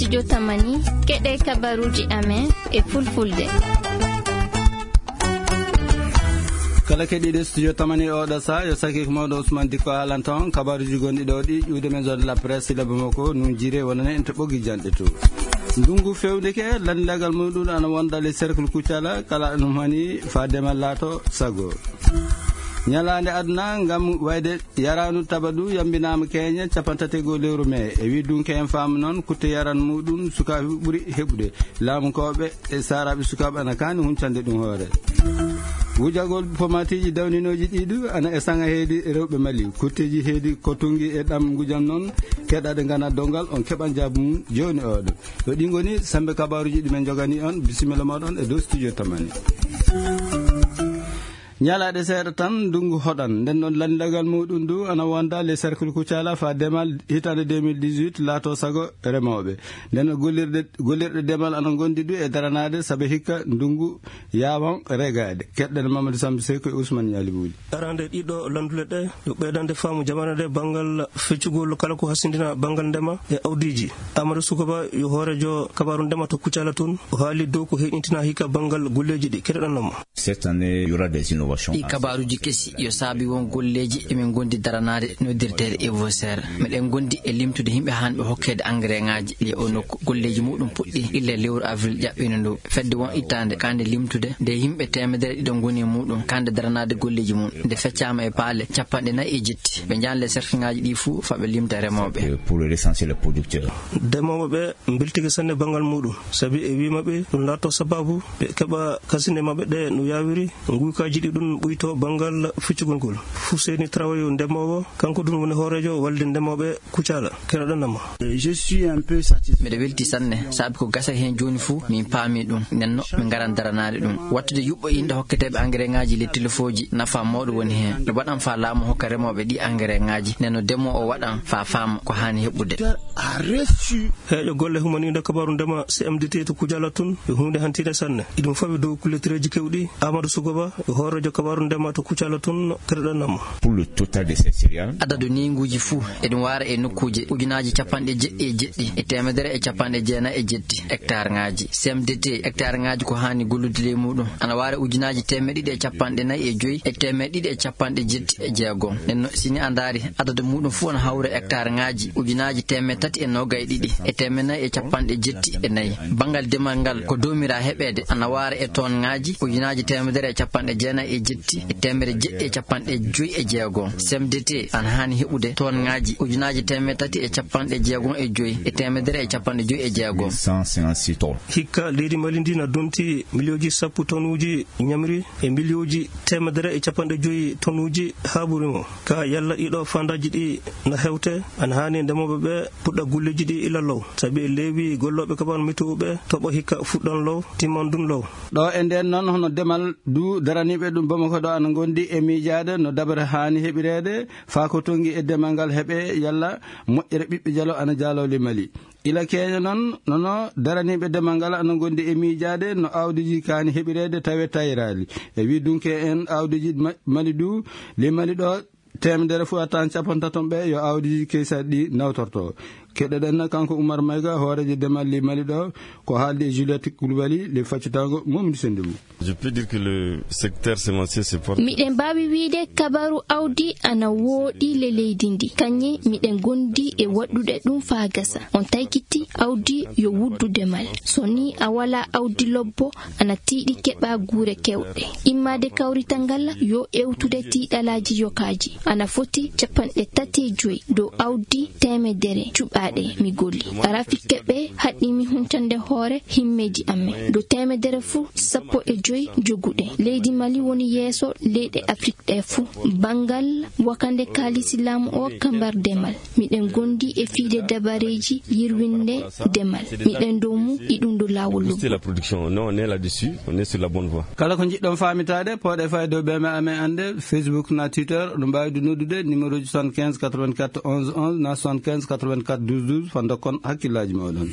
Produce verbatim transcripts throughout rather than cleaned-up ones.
Studio Tamani, keɗe kabaruuji amen e fulfulde. Kala keɗiiɗo Studio Tamani oɗo saa, yo sakiiko mawɗo Ousmane Dikko haalanta on kabaruuji gonɗi ɗo ɗi, ƴuwde men zone de la presse, sila Bamako, nun jire wonane en to ɓoggi janɗe to. Ndungu fewndeke, lanndagal muɗum ana wonda le cercle Kucala, kala ɗum hani faa demal laato sago. Ñalaande aduna ngam wayde yaraanu tabadu yambinaama keñe capanɗe tati e goo lewru mee. E wi dunke en faamu noon, kutte yaran muɗum sukaaɓe ɓuri heɓude. Laamu kooɓe e saaraaɓe sukaaɓe ana kaani huncande ɗum hoore. Wujagol pomatiiji dawninooji ɗiɗu ana e saŋa heedi rewɓe Mali. Kutteeji heedi ko tunngi e ɗam ngujam noon, keɗaɗe ngana dongal, on keɓan jaabu mum jooni oɗo. Ɗo ɗi ngoni sembe kabaaruuji ɗi men jogani on. Bisimilla mooɗon e dow Studio Tamani. Ñalaaɗe seeɗa tan, ndunngu hoɗan. Nden noon, lanndagal muɗum ndu ana wonda le cercle Kucala faa demal hitaande deux mille dix-huit laato sago remooɓe. Nden noon, gollirɗe, gollirɗe demal ana ngondi du e daranaade, sabe hikka ndunngu yaawan regaade. Keɗɗen Mamadou Sambi Sey ko e Ousmane Ñaali Buuli. Arande ɗiɗo landule ɗe, yo ɓeydande faamu jamaane ɗe banngal feccugol kala ko hasindina banngal ndema e awdiiji. Amadou Sukoba yo hoorejo kabaaru ndema to Kucala tun, o haali dow ko heɗintina hikka banngal golleeji ɗi. Keɗoɗon mo. Cette année, il y aura des innovations. Ɗi kabaaruuji kesi yo saabi won golleeji emin ngondi daranaade noddirteeɗe Evoser. Meɗen ngondi e limtude yimɓe haanɓe hokkeede engrais ŋaaji ɗi o nokku. Golleeji muɗum puɗɗi illa lewru avril ƴaɓɓino ndu. Fedde won ittaande kande limtude nde yimɓe teemedere ɗiɗo ngoni e muɗum kande daranaade golleeji mum. Nde feccaama e paale capanɗe nayi e jetti. Ɓe njaanle cercle ŋaaji ɗi fuu faa ɓe limta remooɓe. Pour le recensement des producteurs. Demooɓe ɓe mbeltike sanne banngal muɗum, sabi e wii maɓɓe ɗum laatto sababu ɓe keɓa kasine maɓɓe ɗe no yaawiri, nguykaaji ɗi ɗum ɓuyto banngal feccugol ngol. Fuseni Trawayo ndemoowo, kanko ɗum woni hooreejo walde ndemooɓe Kucala. Keɗoɗon mo. Je suis un peu satisfait. Miɗo welti sanne, sabi ko gasa heen jooni fuu, min paami ɗum. Nden no, min ngaran daranaade ɗum. Wattude yuɓɓo inɗe hokketeeɓe engrais ŋaaji le telefooji, nafa mawɗo woni heen. Ɗo waɗan faa laamu hokka remooɓe ɗi engrais ŋaaji. Nden no, demoo o waɗan faa faama ko haani heɓude. A reçu. Heeƴo golle humaniiɗo kabaaru ndema C M D T to Kucala tun, yo huunde hantiinde sanne. Iɗum fawi dow kullettereeji kewɗi. Amadou Sugoba, yo hooreejo kabaaru ndema to Kucala tun, keɗoɗon mo. Pour le total de ces céréales. Adadu neynguuji fuu, eɗum waara e nokkuuje ujunaaji capanɗe jeɗɗi e jeɗɗi e teemedere e capanɗe jeenayi e jeɗɗi hectare ŋaaji. C M D T, hectare ŋaaji ko haani gollude ley muɗum, ana waara ujunaaji teemeɗɗe ɗiɗi e capanɗe nayi e joyi e teemeɗɗe ɗiɗi e capanɗe jeɗɗi e jeegom. Nden no, si ni a ndaari, adadu muɗum fuu ana hawra hectare ŋaaji ujunaaji teemeɗɗe tati e noogay ɗiɗi e teemeɗɗe nayi e capanɗe jetti e nayi. Banngal demal ngal ko doomiraa heɓeede ana waara e ton ŋaaji ujunaaji teemedere e capanɗe jeenayi e jetti e teemedere jeɗɗi e capanɗe joyi e jeegom. C M D T ana haani heɓude ton ŋaaji ujunaaji teemeɗɗe tati e capanɗe jeegom e joyi e teemedere e capanɗe joyi e jeegom. Cent cinquante-six tonnes. Hikka leydi Mali ndi na donti miliyooji sappo tonuuji ñamri e miliyooji teemedere e capanɗe joyi tonuuji haa ɓuri mo. Ka yalla ɗiɗo fandaaji ɗi na hewte, ana haani ndemooɓe ɓe puɗɗa golleeji ɗi ila law. Sabi e leewi gollooɓe kabaaru meteo ɓe toɓo hikka fuɗɗan law, timman dun law. Ɗo e nden noon, hono demal du daraniiɓe ɗum Bamako ɗo ana ngondi e miijaade no dabare haani heɓireede, faa ko tongi e demal ngal heɓe yalla moƴƴere ɓiɓɓe jalo ana jaaloo ley Mali. Ila keña noon, nono daraniiɓe demal ngal ana ngondi e miijaade no awdiiji kaani heɓireede tawe tayraali. E wi dunke en awdiiji ma-, Mali du, ley Mali ɗo, teemedere fof a tawan capanɗe taton ɓe yo awdiiji keysaɗi ɗi nawtorto. Keɗoɗen kanko Oumar Maïga, hooreejo demal ley Mali ɗo, ko haaldi e Juliette Koulibaly, ley faccitaango Mamadou Sendou. Je peux dire que le secteur semencier se porte. Miɗen mbaawi wiide kabaru awdi ana wooɗi le leydi ndi. Kañe miɗen gondi e waɗɗude ɗum faa gasa. On taykiti awdi yo wuddu demal. So ni a wala awdi lobbo, ana tiiɗi keɓa guure kewɗe. Immaade kawrital ngal yo ewtude tiiɗalaaji yokaaji. Ana foti capanɗe tati e joyi dow awdi teemedere cuɓaaɗe mi golli. Rafik keɓe haɗɗi mi huntande hoore himmeeji amen. Dow teemedere fuu sappo e joyi joguɗe. Leydi Mali woni yeeso leyɗe Afrik ɗe fuu. Banngal wakande kaalisi laamu o kambar demal. Miɗen gondi e fiide dabareeji yirwinde demal. Miɗen dow mum, iɗum dow laawol lobbo. Booster la production. Non, on est là-dessus, on est sur la bonne voie. Kala ko njiɗɗon faamitaade, pooɗe fayde dow B M A amen annde, Facebook na Twitter, ɗum mbaawi du noddude numéro ji soixante-quinze quatre-vingt-quatre onze onze na soixante-quinze quatre-vingt-quatre douze douze, fa ndokkon hakkillaaji mooɗon.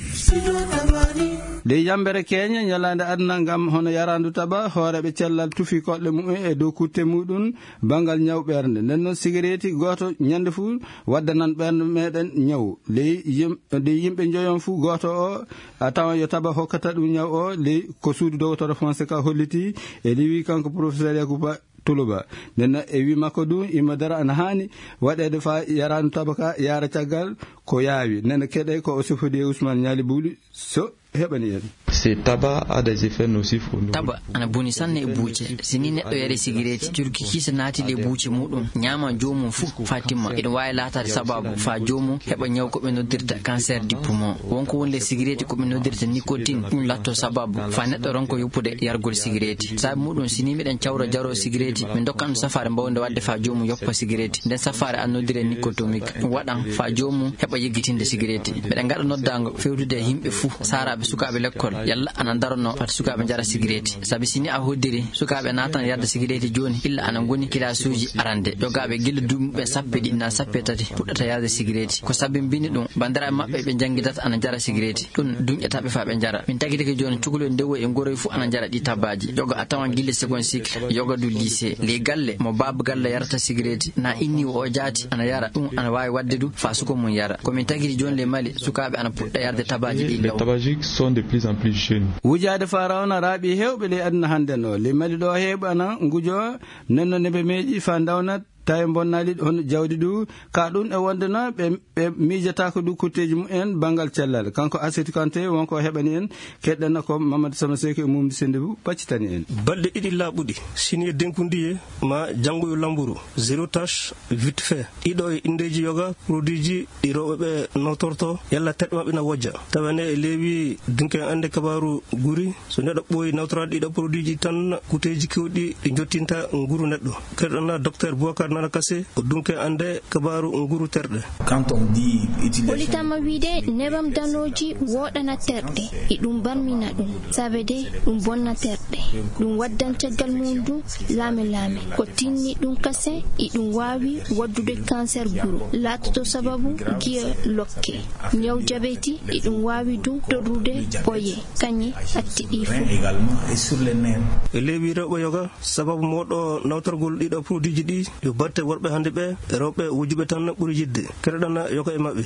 Ley yambere keenya ñalaande aduna ngam hono yaraandu taba, hooreeɓe cellal tufi koɗɗe mumen e dow kutte muɗum banngal ñaw ɓernde. Nden noon sigareeti gooto ñande fuu waddanan ɓernde meɗen ñaw. Ley yim-, ley yimɓe njoyon fuu gooto o a tawan yo taba hokkata ɗum ñaw o, ley ko suudu dowtoro Fonseca holliti e liwi kanko professeur Yakuba Tuluba. Nden noon e wi makko du, imma dara ana haani waɗeede fa yaraandu taba ka yaara caggal ko yaawi. Nden keɗe ko o sifodi e Ousmane Ñaali Buuli so heɓani en. Ce tabac a des effets nocifs au niveau Taba ana boni sanne e buuce. Si ni neɗɗo yari sigareeti, curki kiisa naati ley buuce muɗum, ñaama joomum fuu faa timma. Ina waawi laataade sababu faa joomum heɓa ñaw ko ɓe noddirta cancer du poumon. Won ko woni ley sigareeti ko ɓe noddirta nicotine, ɗum latto sababu faa neɗɗo ronko yoppude yargol sigareeti. Saabi muɗum, si ni miɗen cawra jaro sigareeti, min dokkan ɗum safaare mbawnde waɗde faa joomum yoppa sigareeti. Nden safaare ana noddire nicotomique. Ɗum waɗan faa joomum heɓa yeggitinde sigareeti. Miɗen ngaɗa noddaango fewtude e yimɓe fuu, saaraaɓe, sukaaɓe lekkol, yalla ana ndarono fati sukaaɓe njara sigareeti. Sabi si ni a hoddiri, sukaaɓe naatan yarde sigareeti jooni, illa ana ngoni kilaasuuji arande. Yogaaɓe gila duuɓi muɓɓen sappo e ɗiɗi naa sappo e tati puɗɗata yarde sigareeti. Ko sabi mbini ɗum, banndiraaɓe maɓɓe ɓe njanngidata ana njara sigareeti. Ɗum duñƴata ɓe faa ɓe njara. Min tagitike jooni, cukalel ndewoy e ngoroy fuu ana njara ɗi tabaaji. Yoga a tawan gila second cycle, yoga du lycée. Ley galle, mo baaba galle yarata sigareeti, naa inniiwo o jaati ana yara, ɗum ana waawi waɗde du faa suka mum yara. Ko min tagiri jooni ley Mali, sukaaɓe ana puɗɗa yarde tabaaji ɗi Les law. Tabagiques sont de plus en plus jeunes. Wujaade faa rawna raaɓi heewɓe ley aduna hannden o. Ley Mali ɗo heewɓe ana ngujo, nden noon ne ɓe meeƴi faa ndawna tawi bonnaali hono jawdi du, ka ɗum e wonde na ɓe, ɓe miijataako du kutteeji mumen banngal cellal. Kanko Asetu Kante won ko heɓani en, keɗɗana ko Mamadou Sama Seeku e Mumdi Sennde bu paccitani en. Balɗe ɗiɗi laaɓuɗi, sini e denkudiye ma janngo yo lamburu, zéro tache, vite fait. Ɗiɗo e indeeji yoga, produitji ɗi rewɓe ɓe nawtorto, yalla terɗe maɓɓe na wojja. Tawa ne e leewi dunke annde kabaaru guri, so neɗɗo ɓooyi nawtoraade ɗiɗo produitji tan, kuteeji keewɗi ɗi njottinta nguru neɗɗo. Keɗoɗon docteur Boubacar Nana Kassé, ko dunke annde kabaaru nguru terɗe. Quand on dit utiliser Holitama wiide nebam danooji woɗɗana terɗe, e ɗum barmina ɗum, sabe de ɗum bonna terɗe. Ɗum waddan caggal mum du laame laame. Ko tinni ɗum kase, e ɗum waawi waddude cancer guru, laatoto sababu giya lokke. Ñaw jabeti, e ɗum waawi du torrude ɓoye, kañe, hatti ɗi fof. Également et sur les nerfs. E leewi rewɓe yoga, sababu mawɗo nawtorgol ɗiɗo produitji ɗi, yo batte worɓe hannde ɓe, rewɓe wujuɓe tan ɓuri yiɗde. Keɗoɗon yoga e maɓɓe.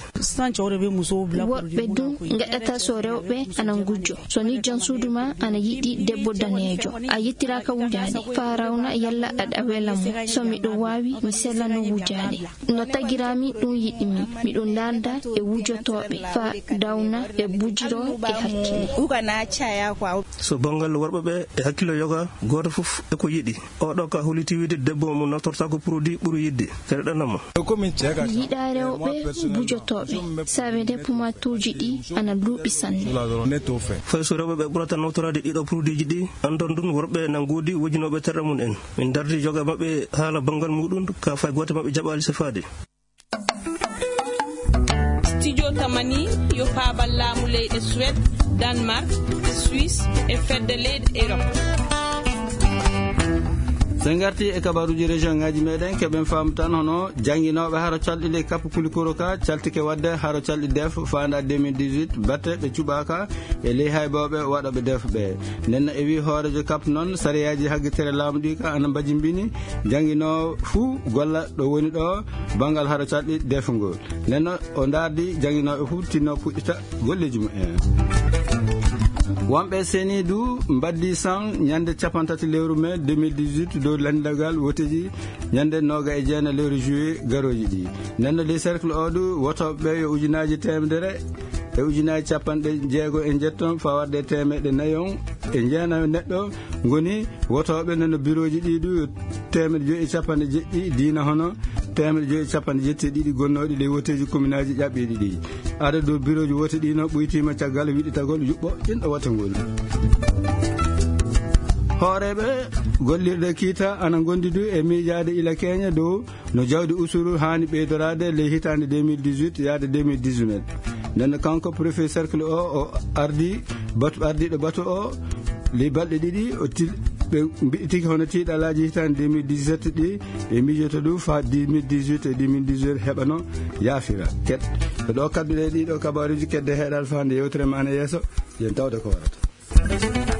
Worɓe du ngaɗata so rewɓe ana ngujjo. So ni jom suudu ma ana yiɗi debbo daneejo, a yettiraaka wujaade, faa rawna yalla aɗa wela mo. So miɗo waawi, mi selano wujaade. No tagiraami ɗum yiɗimi. Miɗo ndaarda e wujotooɓe, faa dawna e bujiro e hakkille. So banngal worɓe ɓe e hakkillo yoga, gooto fof e ko yiɗi. Oɗo ka holiti wiide debbo mo naftortaako produit ɓuri yiɗde. Keɗoɗon mo. Mi yiɗaa rewɓe bujotooɓe, sabe de pumatuuji ɗi ana luuɓi sanne. Fay so rewɓe ɓe ɓurata nawtoraade ɗiɗo produitji ɗi, anndon ɗum worɓe na ngoodi wujinooɓe terɗe mum en. Min ndardi yoga maɓɓe haala banngal muɗum, ka fay gooto maɓɓe jaɓaali sifaade. Studio Tamani yo faabal laamu leyɗe Suède, Danemark, Suisse e fedde leyɗe Europe. So en ngarti e kabaruuji région ngaji meɗen, keɓen faamu tan hono jannginooɓe haro calɗi ley Kapu Kulikoro ka caltike waɗde haro calɗi def faanda deux mille dix-huit, batte ɓe cuɓaaka e ley haybooɓe waɗooɓe def ɓe. Nden no e wi hooreejo Kap noon, sariyaaji haggitere laamu ɗi ka ana mbajimbini jannginoowo fuu golla ɗo woni ɗo banngal haro calɗi defngo. Nden no o ndaardi jannginooɓe fuu tinno puɗɗita golleeji mumen. Wonɓe seni du mbaddi san ñande capantati lewru mai deux mille dix-huit dow lanndagal woteji ñande nooga e jeena lewru juillet garooji ɗi. Nden no ley cercle o du wotooɓe ɓe yo ujunaaji teemedere e ujunaaji capanɗe jeego e njetton fawarde e teemeɗɗe nayon e jeenayo neɗɗo ngoni wotooɓe. Nden no birooji ɗi du yo teemeɗɗe joyi e capanɗe jeɗɗi diina hono teemeɗɗe joyi e capanɗe jetti e ɗiɗi gonnooɗi ley woteeji kominaaji ƴaɓɓiiɗi ɗi. Adadu birooji wote ɗi no ɓuytiima caggal wiɗitagol yuɓɓo inɗo wote ngol. Hooreeɓe gollirde kiita ana ngondi du e miijaade ila keenya dow no jawdi usuru haani ɓeydoraade ley hitaande deux mille dix-huit yaade deux mille dix-neuf. Nden no kanko préfet cercle o, o ardi batu, ardiiɗo batu o ley balɗe ɗiɗi, o til-, Ɓe mbiɗi tigi hono tiiɗalaaji hitaande deux mille dix-sept ɗi ɓe miijoto ɗum faa deux mille dix-huit e deux mille dix-huit heɓano yaafira. Ket ko ɗo kaɓduɗe ɗiɗo kabaaruuji kedde heɗal faa nde yewtere ma ne yeeso. Yen tawde ko warata.